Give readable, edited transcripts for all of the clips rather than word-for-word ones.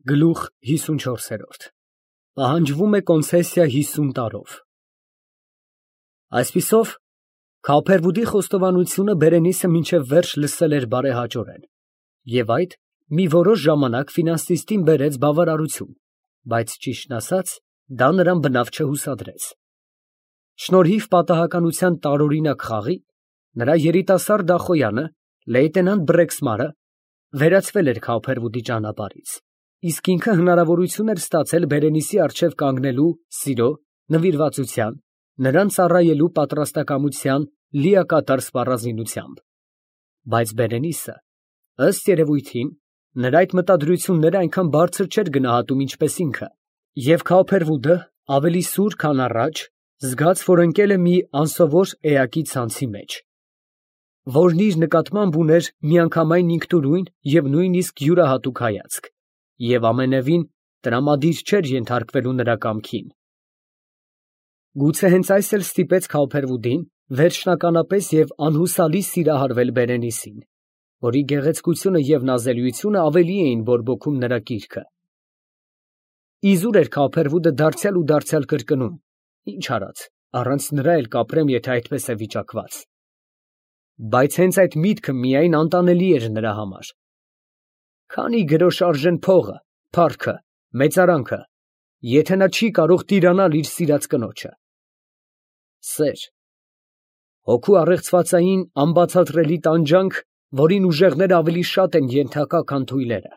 Գլուխ 54 Պահանջվում է կոնցեսիա 50 տարով։ Այսպիսով, Քափերվուդի խոստովանությունը Բերենիսը մինչև վերջ լսել էր բարեհաճորեն, և այդ մի որոշ ժամանակ ֆինանսիստին բերեց բավարարություն, բայց ճիշտն ասած, դա նրան բնավ չհուսադրեց։ Շնորհիվ պատահականության տարօրինակ խաղի, նրա երիտասարդ դախոյանը, լեյտենանտ Բրեքսմարը, վերացվել էր Քափերվուդի ճանապարհից, իսկ ինքը հնարավորություն էր ստացել Բերենիսի առջև կանգնելու սիրո, նվիրվածության, նրան ծառայելու պատրաստակամության լիակատար սպառազինությամբ։ Բայց Բերենիսը, ըստ երևույթին, նրա այդ մտադրությունները այնքան բարձր չէր գնահատում, ինչպես ինքը, և Քափերվուդը, ավելի սուր, քան առաջ, զգաց, որ ընկել է մի անսովոր էակի ցանցի մեջ, որն իր նկատմամբ ուներ միանգամայն ինքնուրույն և նույնիսկ յուրահատուկ հայացք, և ամենևին տրամադիր չէր ենթարկվելու նրա կամքին։ Գուցե հենց այս էլ ստիպեց Քափերվուդին վերջնականապես և անհուսալի սիրահարվել Բերենիսին, որի գեղեցկությունը և նազելիությունը ավելի էին բորբոքում նրա կիրքը։ Իզուր էր Քափերվուդը դարձյալ ու դարձյալ կրկնում. «Ինչ արած, առանց նրա էլ կապրեմ, եթե այդպես է վիճակված»։ Բայց հենց այդ միտքը միայն անտանելի էր նրա համար։ Քանի գրոշ արժեն փողը, փառքը, մեծարանքը, եթե նա չի կարող տիրանալ իր սիրած կնոջը։ Սեր, հոգու առեղծվածային անբացատրելի տանջանք, որին ուժեղները ավելի շատ են ենթակա, քան թույլերը։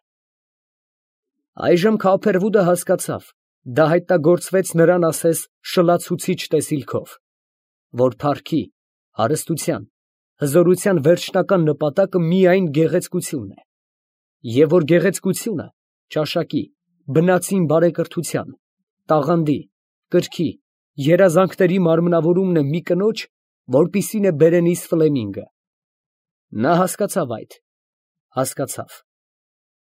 Այժմ Քափերվուդը հասկացավ, դա հայտնագործվեց նրան ասես շլացուցիչ տեսիլքով, որ փառքի, հարստության, հզորության վերջնական նպատակը միայն գեղեցկությունն է, և որ գեղեցկությունը ճաշակի, բնածին բարեկրթության, տաղանդի, կրքի, երազանքների մարմնավորումն է մի կնոջ, որպիսին է Բերենիս Ֆլեմինգը։ Նա հասկացավ այդ, հասկացավ։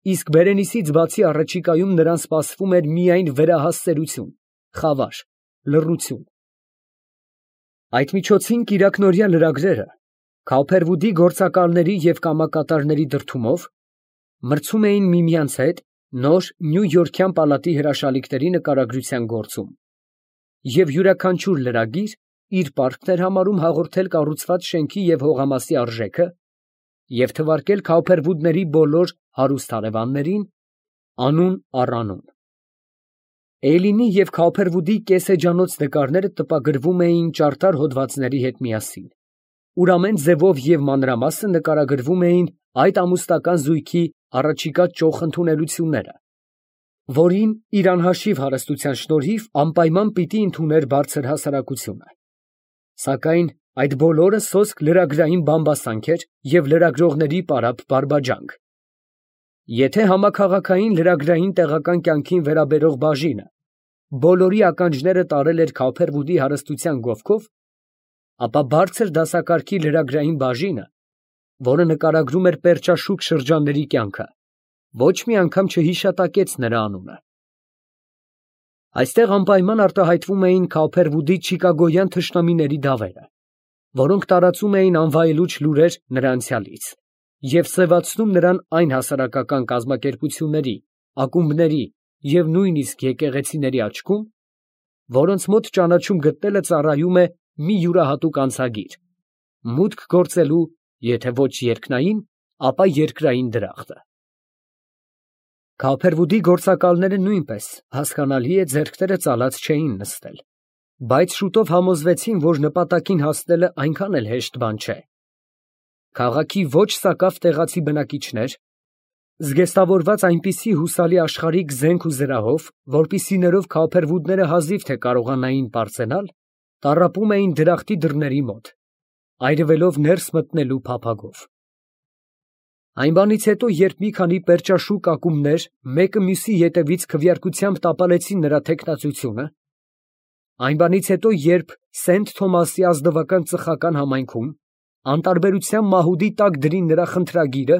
Իսկ Բերենիսից բացի առաջիկայում նրան սպասվում էր միայն վերահասկերություն, խավար, լռություն։ Այդ միջոցին կիրակնօրյա լրագրերը, Քափերվուդի գործակալների և կամակատարների դրդումով, մրցում էին միմյանց հետ նոր նյույորքյան պալատի հրաշալիքների նկարագրության գործում, և յուրաքանչյուր լրագիր իր պարտքն էր համարում հաղորդել կառուցված շենքի և հողամասի արժեքը և թվարկել Քափերվուդների բոլոր հարուստ հարևաններին, անուն առ անուն։ Էյլինի և Քափերվուդի կեսեջանոց նկարները տպագրվում էին ճարտար հոդվածների հետ միասին, ուր ամեն ձևով և մանրամասն նկարագրվում էին այդ ամուսնական զույգի առաջիկա ճոխ ընդունելությունները, որին իր անհաշիվ հարստության շնորհիվ անպայման պիտի ընդուներ բարձր հասարակությունը։ Սակայն այդ բոլորը սոսկ լրագրային բամբասանք էր և լրագրողների պարապ բարբաջանք։ Եթե համաքաղաքային լրագրային տեղական կյանքին վերաբերող բաժինը բոլորի ականջները տարել էր Քափերվուդի հարստության գովքով, ապա բարձր դասակարգի լրագրային բաժինը, որը նկարագրում էր պերճաշուք շրջանների կյանքը, ոչ մի անգամ չհիշատակեց նրա անունը։ Այստեղ անպայման արտահայտվում էին Քափերվուդի չիկագոյան թշնամիների դավերը, որոնք տարածում էին անվայելուչ լուրեր նրա անցյալից և սևացնում նրան այն հասարակական կազմակերպությունների, ակումբների և նույնիսկ եկեղեցիների աչքում, որոնց մոտ ճանաչում գտնելը ծառայում է մի յուրահատուկ անցագիր, մուտք գործելու, եթե ոչ երկնային, ապա երկրային դրախտը։ Քափերվուդի գործակալները նույնպես, հասկանալի է, ձեռքները ծալած չէին նստել, բայց շուտով համոզվեցին, որ նպատակին հասնելը այնքան էլ հեշտ բան չէ։ Քաղաքի ոչ սակավ տեղացի բնակիչներ, զգեստավորված այնպիսի հուսալի աշխարհիկ զենք ու զրահով, որպիսի ներով Քափերվուդները հազիվ թե կարողանային պարծենալ, տառապում էին դրախտի դռների մոտ, այրվելով ներս մտնելու փափագով։ Այն բանից հետո, երբ մի քանի պերճաշուք ակումբներ մեկը մյուսի ետևից քվեարկությամբ տապալեցին նրա թեկնածությունը, այն բանից հետո, երբ Սենթ Թոմասի ազնվական ծխական համայնքում անտարբերության մահուդի տակ դրին նրա խնդրագիրը,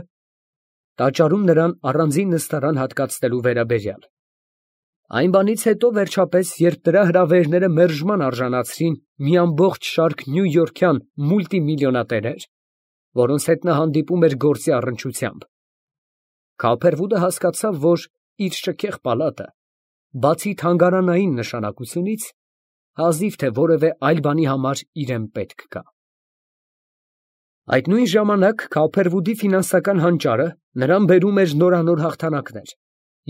տաճարում նրան առանձին նստարան հատկացնելու վերաբերյալ, այն բանից հետո, վերջապես, երբ նրա հրավերները մերժման արժանացրին մի ամբողջ շարք նյույորքյան մուլտիմիլիոնատերեր, որոնց հետ նա հանդիպում էր գործի առնչությամբ, Քափերվուդը հասկացավ, որ իր շքեղ պալատը, բացի թանգարանային նշանակությունից, հազիվ թե որևէ այլ բանի համար իրեն պետք կա։ Այդ նույն ժամանակ Քոփերվուդի ֆինանսական հանճարը նրան բերում էր նորանոր հաղթանակներ,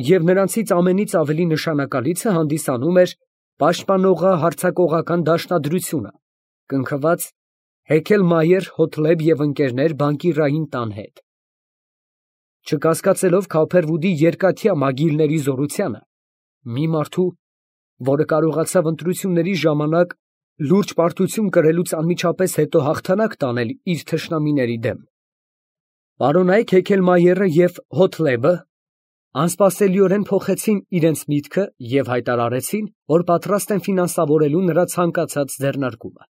և նրանցից ամենից ավելի նշանակալիցը հանդիսանում էր պաշտպանողահարձակողական դաշնադրությունը, կնքված Հեքելմայեր, Հոթլեբ և ընկերներ բանկիրային տան հետ։ Չկասկածելով Քոփերվուդի երկաթյա մագիլների զորությանը, մի մարդու, որը կարողացավ ընտրությունների ժամանակ լուրջ պարտություն կրելուց անմիջապես հետո հաղթանակ տանել իր թշնամիների դեմ, պարոնայք Հեքելմայերը և Հոթլեբը անսպասելիորեն փոխեցին իրենց միտքը և հայտարարեցին, որ պատրաստ են ֆինանսավորելու նրա ցանկացած ձեռնարկումը։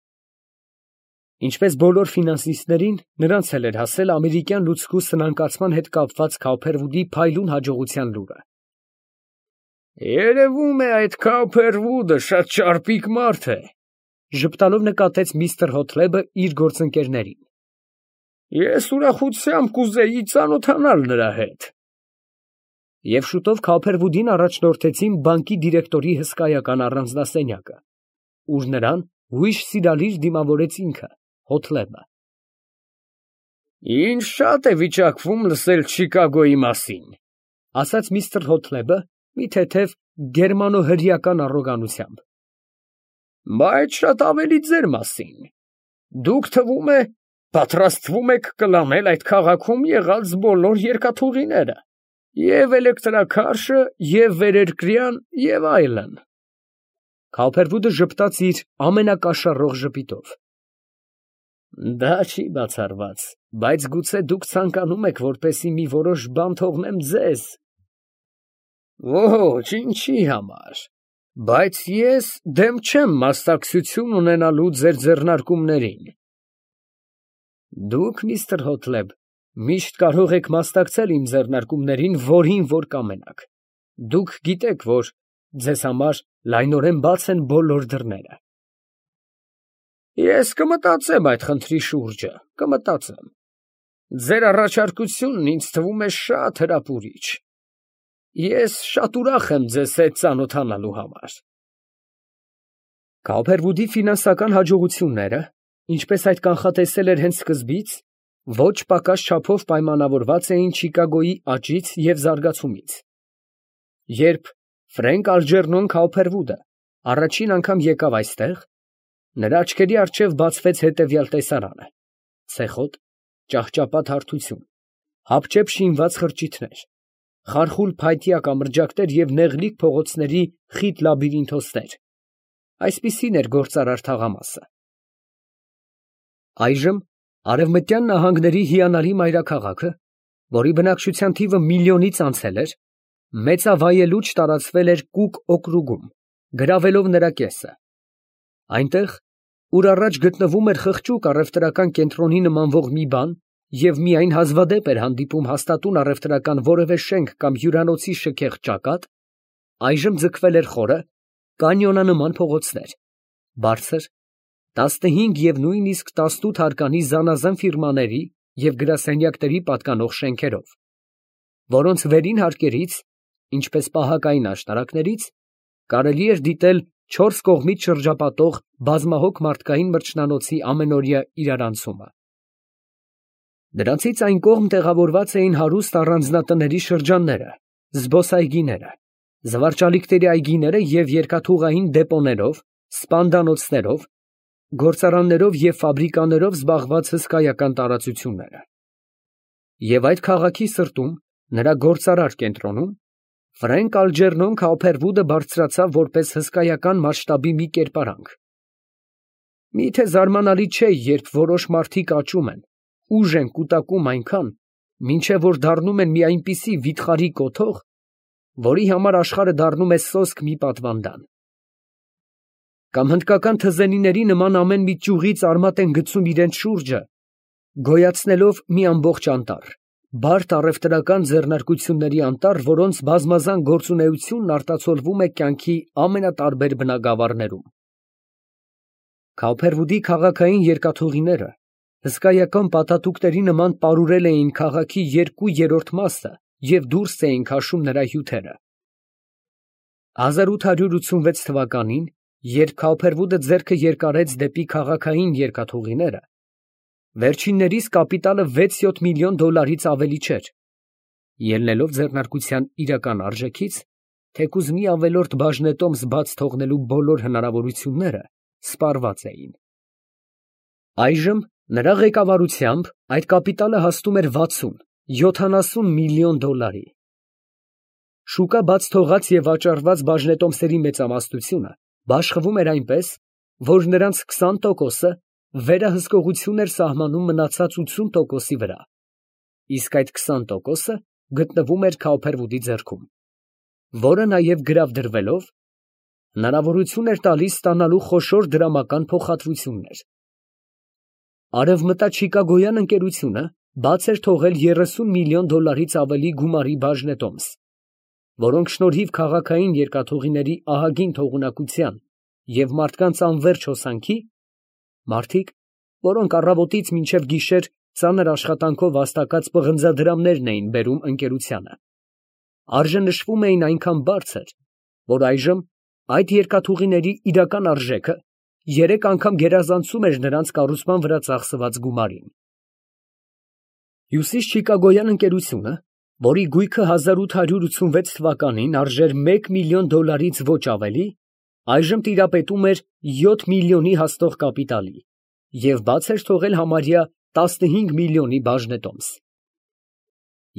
Ինչպես բոլոր ֆինանսիստներին, նրանց էլ էր հասել ամերիկյան լուծկու սնանկացման հետ կապված Քոփերվուդի փայլուն հաջողության լուրը։ «Երևում է, այդ Քոփերվուդը շատ ճարպիկ մարդ է», ժպտալով նկատեց միստր Հոթլեբը իր գործընկերներին։ «Ես ուրախությամբ կուզեի ծանոթանալ նրա հետ»։ Եվ շուտով Քոփերվուդին առաջնորդեցին բանկի դիրեկտորի հսկայական առանձնասենյակը, ուր նրան հույժ սիրալիր դիմավորեց ինքը, Հոթլեբը։ «Ինձ շատ է վիճակվում լսել Չիկագոյի մասին», ասաց միստր Հոթլեբը մի թեթև գերմանո֊հրեական առոգանությամբ։ «Բայց շատ ավելի ձեր մասին։ Դուք, թվում է, պատրաստվում եք կլանել այդ քաղաքում եղած բոլոր երկաթուղիները, և էլեկտրաքարշը, և վերերկրյան, և այլն»։ Քոփերվուդը ժպտաց իր ամենակաշառող ժպիտով։ «Դա չի բացառված, բայց գուցե դուք ցանկանում եք, որպեսզի մի որոշ բան թողնեմ ձեզ»։ «Ոչ, ինչի համար, բայց ես դեմ չեմ մասնակցություն ունենալու ձեր ձեռնարկումներին»։ «Դուք, միստր Հոթլեբ, միշտ կարող եք մասնակցել իմ ձեռնարկումներին, որին որ կամենաք։ Դուք գիտեք, որ ձեզ համար լայնորեն բաց են բոլոր դռները»։ «Ես կմտածեմ այդ խնդրի շուրջը, կմտածեմ։ Ձեր առաջարկությունն ինձ թվում է շատ հրապուրիչ։ Ես շատ ուրախ եմ ձեզ հետ ծանոթանալու համար»։ Քոփերվուդի ֆինանսական հաջողությունները, ինչպես այդ կանխատեսել էր հենց սկզբից, ոչ պակաս չափով պայմանավորված էին Չիկագոյի աճից և զարգացումից։ Երբ Ֆրենկ Ալջերնոն Քոփերվուդը առաջին անգամ եկավ այստեղ, նրա աչքերի առջև բացվեց հետևյալ տեսարանը. ցեխոտ, ճահճապատ հարթություն, հապճեպ շինված խրճիթներ, խարխուլ փայտյա կամրջակներ և նեղլիկ փողոցների խիտ լաբիրինթոսներ։ Այսպիսին էր գործարար թաղամասը։ Այժմ Արևմտյան նահանգների հիանալի մայրաքաղաքը, որի բնակչության թիվը միլիոնից անցել էր, մեծավայելուչ տարածվել էր Կուկ օկրուգում, գրավելով նրա կեսը։ Այնտեղ, ուր առաջ գտնվում էր խղճուկ առևտրական կենտրոնի նմանվող մի բան և միայն հազվադեպ էր հանդիպում հաստատուն առևտրական որևէ շենք կամ հյուրանոցի շքեղ ճակատ, այժմ ձգվել էր խորը, կանյոնանման փողոցներ, բարձր, 15 և նույնիսկ 18 հարկանի զանազան ֆիրմաների և գրասենյակների պատկանող շենքերով, որոնց վերին հարկերից, ինչպես պահակային աշտարակներից, կարելի էր դիտել 4 կողմից շրջապատող բազմահոգ մարդկային մրջնանոցի ամենօրյա իրարանցումը։ Դրանցից այն կողմ տեղավորված էին հարուստ առանձնատների շրջանները, զբոսայգիները, զվարճալիքների այգիները և երկաթուղային դեպոներով, սպանդանոցներով, գործարաններով և ֆաբրիկաներով զբաղված հսկայական տարածությունները։ Եվ այդ քաղաքի սրտում, նրա գործարար կենտրոնում, Ֆրենկ Ալջերնոն Քոփերվուդը բարձրացավ որպես հսկայական մասշտաբի մի կերպարանք։ Միթե զարմանալի չէ, երբ որոշ մարդիկ աճում են, ուժ են կուտակում այնքան, մինչև որ դառնում են մի այնպիսի վիթխարի կոթող, որի համար աշխարհը դառնում է սոսկ մի պատվանդան։ Կամ հնդկական թզենիների նման ամեն մի ճյուղից արմատ են գցում իրենց շուրջը, գոյացնելով մի ամբողջ անտառ, բարդ առևտրական ձեռնարկությունների անտառ, որոնց բազմազան գործունեությունն արտացոլվում է կյանքի ամենատարբեր բնագավառներում։ Քոփերվուդի քաղաքային երկաթուղիները հսկայական պատատուկների նման պարուրել էին քաղաքի 2/3 մասը և դուրս էին քաշում նրա հյութերը։ 1886 թվականին, երբ Քավփերվուդը ձեռքը երկարեց դեպի քաղաքային երկաթուղիները, վերջիններիս կապիտալը 6-7 միլիոն դոլարից ավելի չէր, ելնելով ձեռնարկության իրական արժեքից, թեկուզ մի ավելորդ բաժնետոմս բաց թողնելու բոլոր հնարավորությունները սպառված էին։ Այժմ նրա ղեկավարությամբ այդ կապիտալը հասնում էր 60-70 միլիոն դոլարի։ Շուկա բաց թողած և վաճառված բաժնետոմսերի մեծամասնությունը բաշխվում էր այնպես, որ նրանց 20%-ը վերահսկողություն էր սահմանում մնացած 80%-ի վրա, իսկ այդ 20%-ը գտնվում էր Քավփերվուդի ձեռքում, որը նաև գրավ դրվելով հնարավորություն էր տալիս ստանալու խոշոր դրամական փոխհատվություններ։ Արևմտաչիկագոյան ընկերությունը բաց էր թողել 30 միլիոն դոլարից ավելի գումարի բաժնետոմս, որոնք շնորհիվ քաղաքային երկաթուղիների ահագին թողունակության և մարդկանց անվերջ հոսանքի, մարդիկ, որոնք առավոտից մինչև գիշեր ծանր աշխատանքով վաստակած պղնձադրամներն էին բերում ընկերությանը, արժենշվում էին այնքան բարձր, որ այժմ այդ երկաթուղիների իրական արժեքը 3 անգամ գերազանցում էր նրանց կառուցման վրա ծախսված գումարին։ Հյուսիս Չիկագոյան ընկերությունը, որի գույքը 1886 թվականին արժեր 1 միլիոն դոլարից ոչ ավելի, այժմ տիրապետում էր 7 միլիոնի հասնող կապիտալի և բաց էր թողել համարյա 15 միլիոնի բաժնետոմս։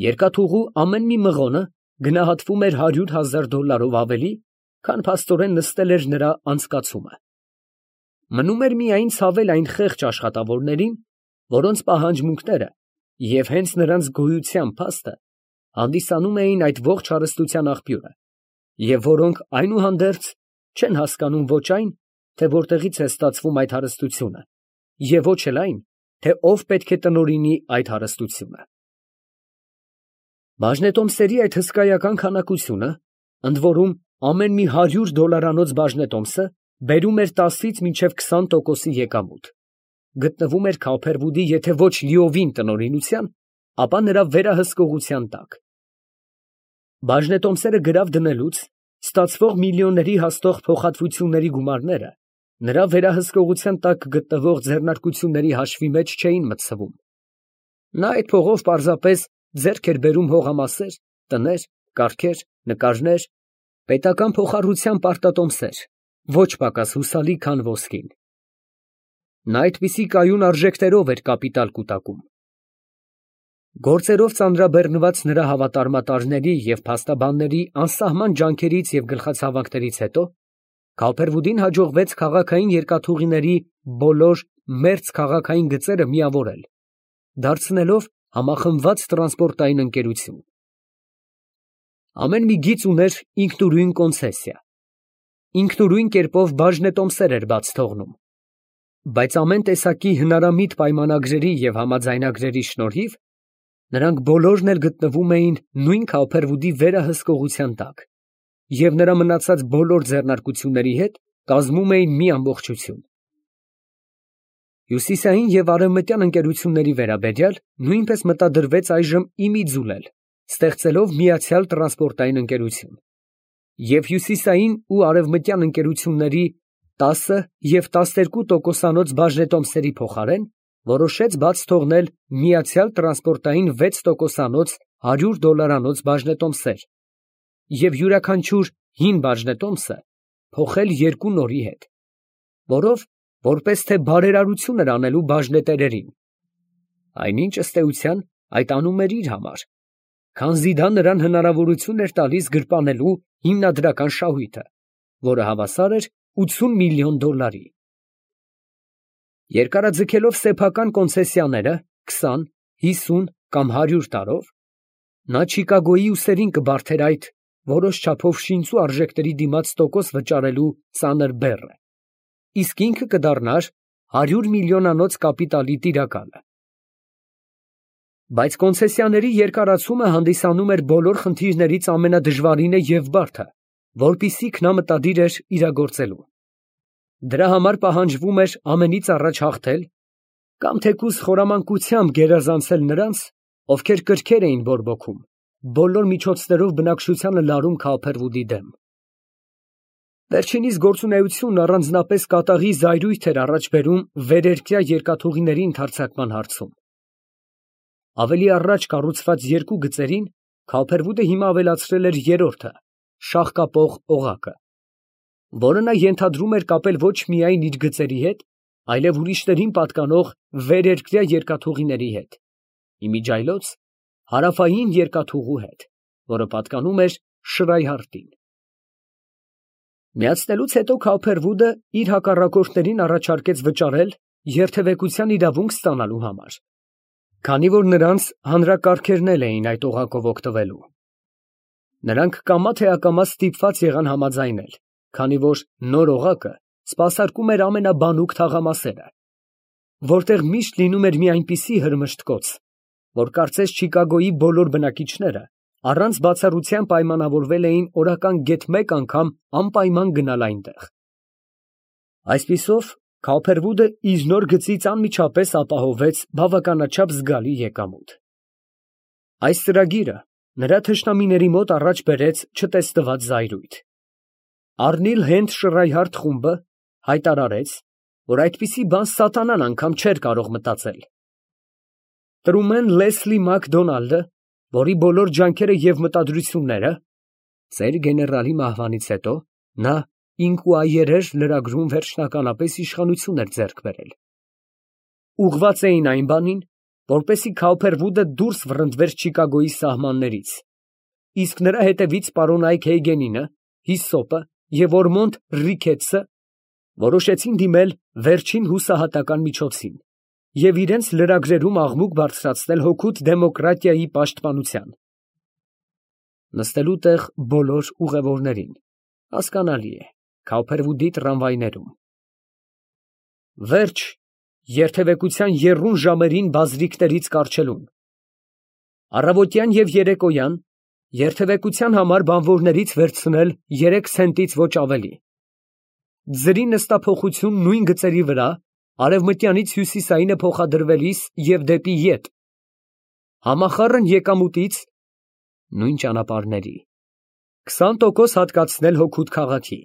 Երկաթուղու ամեն մի մղոնը գնահատվում էր 100,000 դոլարով ավելի, քան փաստորեն նստել էր նրա անցկացումը։ Մնում էր միայն ցավել այն խեղճ աշխատավորներին, որոնց պահանջմունքները և հենց նրանց գոյության փաստը հանդիսանում էին այդ ողջ հարստության աղբյուրը, և որոնք այնուհանդերձ չեն հասկանում ոչ այն, թե որտեղից է ստացվում այդ հարստությունը, և ոչ էլ այն, թե ով պետք է տնօրինի այդ հարստությունը։ Բաժնետոմսերի այդ հսկայական քանակությունը, ընդ որում ամեն մի 100 դոլարանոց բաժնետոմսը բերում էր 10-ից մինչև 20%-ի եկամուտ, գտնվում էր Քավփերվուդի եթե ոչ լիովին տնօրինության, ապա նրա վերահսկողության տակ։ Բաժնետոմսերը գրավ դնելուց ստացվող միլիոնների հասնող փոխհատվությունների գումարները նրա վերահսկողության տակ գտնվող ձեռնարկությունների հաշվի մեջ չէին մտցվում։ Նա այդ փողով պարզապես ձեռք էր բերում հողամասեր, տներ, կառքեր, նկարներ, պետական փոխառության պարտատոմսեր, ոչ պակաս հուսալի, քան ոսկին։ Նա այդպիսի կայուն արժեքներով էր կապիտալ կուտակում։ Գործերով ծանրաբեռնված նրա հավատարմատարների և փաստաբանների անսահման ջանքերից և գլխացավանքներից հետո Քավփերվուդին հաջողվեց քաղաքային երկաթուղիների բոլոր մերձ քաղաքային գծերը միավորել, դարձնելով համախմբված տրանսպորտային ընկերություն։ Ամեն մի գիծ ուներ ինքնուրույն կոնցեսիա, ինքնուրույն կերպով բաժնետոմսեր էր բաց թողնում, բայց ամեն տեսակի հնարամիտ պայմանագրերի և համաձայնագրերի շնորհիվ նրանք բոլորն էլ գտնվում էին նույն Քավփերվուդի վերահսկողության տակ և նրա մնացած բոլոր ձեռնարկությունների հետ կազմում էին մի ամբողջություն։ Հյուսիսային և արևմտյան ընկերությունների վերաբերյալ նույնպես մտադրվեց այժմ ի մի ձուլել, ստեղծելով միացյալ տրանսպորտային ընկերություն, և հյուսիսային ու արևմտյան ընկերությունների 10 և 12%-անոց բաժնետոմսերի փոխարեն որոշեց բաց թողնել միացյալ տրանսպորտային 6%-անոց 100 դոլարանոց բաժնետոմսեր և յուրաքանչյուր հին բաժնետոմսը փոխել 2 նորի հետ, որով որպես թե բարերարություն էր անելու բաժնետերերին, այնինչ ըստ էության այդ անում էր իր համար, քանզի դա նրան հնարավորություն էր տալիս գրպանելու հիմնադրական շահույթը, որը հավասար էր 80 միլիոն դոլարի։ Երկարաձգելով սեփական կոնցեսիաները 20, 50 կամ 100 տարով, նա Չիկագոյի ուսերին կբարդեր այդ որոշ չափով շինծու արժեքների դիմաց տոկոս վճարելու ծանր բեռը, իսկ ինքը կդառնար 100 միլիոնանոց կապիտալի տիրակալը։ Բայց կոնցեսիաների երկարացումը հանդիսանում էր բոլոր խնդիրներից ամենադժվարինը և բարդը, որպիսիք նա մտադիր էր իրագործելու։ Դրա համար պահանջվում էր ամենից առաջ հաղթել կամ թեկուզ խորամանկությամբ գերազանցել նրանց, ովքեր կրքեր էին բորբոքում, բոլոր միջոցներով բնակչությանը լարում Քավփերվուդի դեմ։ Վերջինիս գործունեությունն առանձնապես կատաղի զայրույթ էր առաջ բերում վերերկրյա երկաթուղիների ընդարձակման հարցում։ Ավելի առաջ կառուցված երկու գծերին Քալփերվուդը հիմա ավելացրել էր երրորդը՝ շաղկապող օղակը, որը նա ենթադրում էր կապել ոչ միայն իր գծերի հետ, այլև ուրիշներին պատկանող վերերկրյա երկաթուղիների հետ, իմիջիայլոց հարավային երկաթուղու հետ, որը պատկանում էր Շրայհարտին։ Միացնելուց հետո Քալփերվուդը իր հակառակորդներին առաջարկեց վճարել երթևեկության իրավունք ստանալու համար, քանի որ նրանց հանրակարգերն էլ էին այդ օղակով օգտվելու։ Նրանք կամա թե ակամա ստիպված եղան համաձայնել, քանի որ նոր օղակը սպասարկում էր ամենաբանուկ թաղամասերը, որտեղ միշտ լինում էր մի այնպիսի հրմշտկոց, որ կարծես Չիկագոյի բոլոր բնակիչները առանց բացառության պայմանավորվել էին օրական գեթ մեկ անգամ անպայման գնալ այնտեղ։ Այսպիսով, Քալփերվուդը իր նոր գծից անմիջապես ապահովեց բավականաչափ զգալի եկամուտ։ Այս ծրագիրը նրա թշնամիների մոտ առաջ բերեց չտեսնված զայրույթ։ Առնիլ Հենդ Շրայհարդ խումբը հայտարարեց, որ այդպիսի բան սատանան անգամ չէր կարող մտածել։ Տրումեն Լեսլի Մակդոնալդը, որի բոլոր ջանքերը և մտադրությունները (ծեր գեներալի մահվանից հետո նա ինկուայերեր լրագրում վերջնականապես իշխանություն էր ձեռք բերել) ուղղված էին այն բանին, որպեսզի Քալփերվուդը դուրս վռնդվեր Չիկագոյի սահմաններից, իսկ նրա հետևից պարոնայք Հեյգենինը, Հիսոպը և Օրմոնդ Ռիքեթսը որոշեցին դիմել վերջին հուսահատական միջոցին և իրենց լրագրերում աղմուկ բարձրացնել հօգուտ դեմոկրատիայի պաշտպանության։ Նստելու տեղ բոլոր ուղևորներին, հասկանալի է, Քալփերվուդի տրամվայներում։ Վերջ երթևեկության եռուն ժամերին բազրիքներից կառչելուն։ Առավոտյան և երեկոյան երթևեկության համար բանվորներից վերցնել 3 ցենտից ոչ ավելի։ Ձրի նստափոխություն նույն գծերի վրա արևմտյանից հյուսիսայինը փոխադրվելիս և դեպի ետ։ Համախառն եկամուտից նույն ճանապարհների 20% հատկացնել հօգուտ քաղաքի։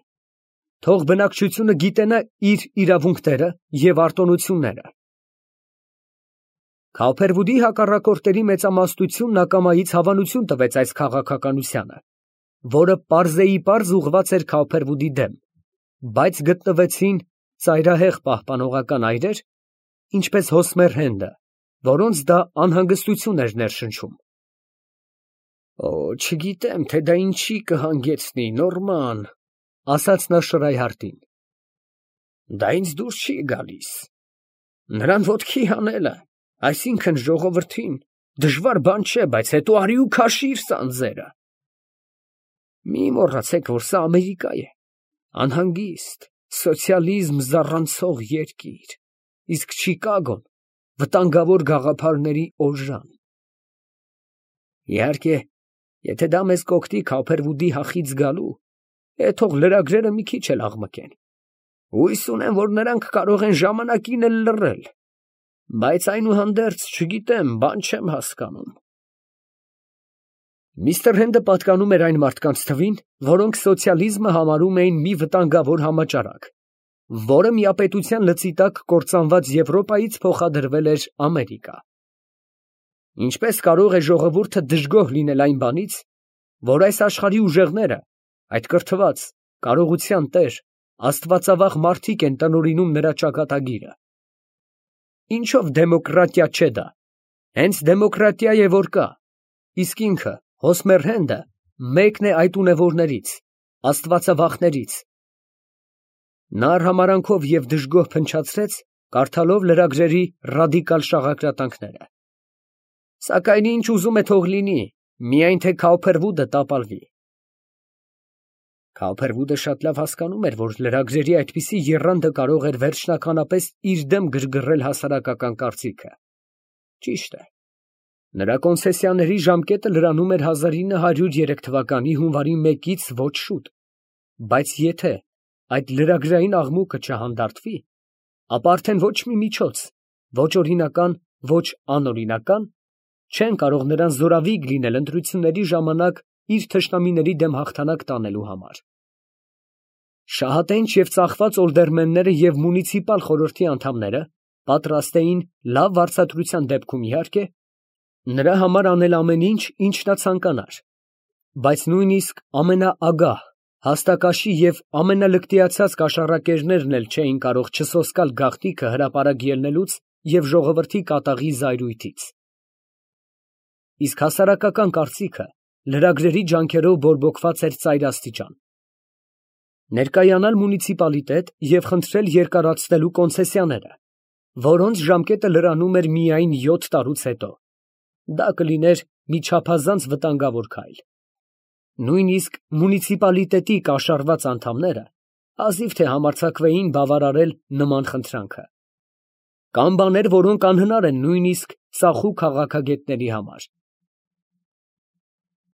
Թող բնակչությունը գիտենա իր իրավունքները և արտոնությունները։ Քալփերվուդի հակառակորդների մեծամասնությունն ակամայից հավանություն տվեց այս քաղաքականությանը, որը պարզեիպարզ ուղղված էր Քալփերվուդի դեմ, բայց գտնվեցին ծայրահեղ պահպանողական այրեր, ինչպես Հոսմեր Հենդը, որոնց դա անհանգստություն էր ներշնչում։ «Օ, չգիտեմ, թե դա ինչի կհանգեցնի, Նորման», ֊ ասաց նա Շրայհարտին։ «Դա ինձ դուր չի գալիս։ Նրան ոտքի հանելը, այսինքն ժողովրդին, դժվար բան չէ, բայց հետո արի ու քաշիր սանձերը։ Մի մոռացեք, որ սա Ամերիկա է, անհանգիստ, սոցիալիզմ զառանցող երկիր, իսկ Չիկագոն վտանգավոր գաղափարների օժան։ Իհարկե, եթե դա մեզ կօգնի Քալփերվուդի հախից գալու, թող լրագրերը մի քիչ էլ աղմկեն։ Հույս ունեմ, որ նրանք կարող են ժամանակին էլ լռել, բայց այնուհանդերձ, չգիտեմ, բան չեմ հասկանում»։ Միստր Հենդը պատկանում էր այն մարդկանց թվին, որոնք սոցիալիզմը համարում էին մի վտանգավոր համաճարակ, որը միապետության լծի տակ կործանված Եվրոպայից փոխադրվել էր Ամերիկա։ Ինչպես կարող է ժողովուրդը դժգոհ լինել այն բանից, որ այս աշխարհի ուժեղները, այդ կրթված, կարողության տեր, աստվածավախ մարդիկ են տնօրինում նրա ճակատագիրը։ Ինչով դեմոկրատիա չէ դա, հենց դեմոկրատիա է որ կա, իսկ ինքը, Հոսմեր Հենդը, մեկն է այդ ունևորներից, աստվածավախներից։ Նա արհամարանքով և դժգոհ փնչացրեց, կարդալով լրագրերի ռադիկալ շաղակրատանքները։ Սակայն ինչ ուզում է թող լինի, միայն թե Քալփերվուդը տապալվի։ Քալփերվուդը շատ լավ հասկանում էր, որ լրագրերի այդպիսի եռանդը կարող էր վերջնականապես իր դեմ գրգռել հասարակական կարծիքը։ Ճիշտ է, նրա կոնցեսիաների ժամկետը լրանում էր 1903 թվականի հունվարի 1-ից ոչ շուտ, բայց եթե այդ լրագրային աղմուկը չհանդարտվի, ապա արդեն ոչ մի միջոց, ոչ օրինական, ոչ անօրինական, չեն կարող նրան զորավիգ լինել ընտրությունների ժամանակ իր թշնամիների դեմ հաղթանակ տանելու համար։ Շահատենչ և ծախված օլդերմենները և մունիցիպալ խորհրդի անդամները պատրաստ էին լավ վարձատրության դեպքում, իհարկե, նրա համար անել ամեն ինչ, ինչ նա ցանկանար, բայց նույնիսկ ամենաագահ, հաստակաշի և ամենալկտիացած կաշառակերներն էլ չէին կարող չսոսկալ գաղտնիքը հրապարակ ելնելուց և ժողովրդի կատաղի զայրույթից։ Իսկ հասարակական կարծիքը լրագրերի ջանքերով բորբոքված էր ծայրաստիճան։ Ներկայանալ մունիցիպալիտետ և խնդրել երկարացնելու կոնցեսիաները, որոնց ժամկետը լրանում էր միայն 7 տարուց հետո, դա կլիներ մի չափազանց վտանգավոր քայլ։ Նույնիսկ մունիցիպալիտետի կաշառված անդամները հազիվ թե համարձակվեին բավարարել նման խնդրանքը։ Կան բաներ, որոնք անհնար են նույնիսկ ծախու քաղաքագետների համար։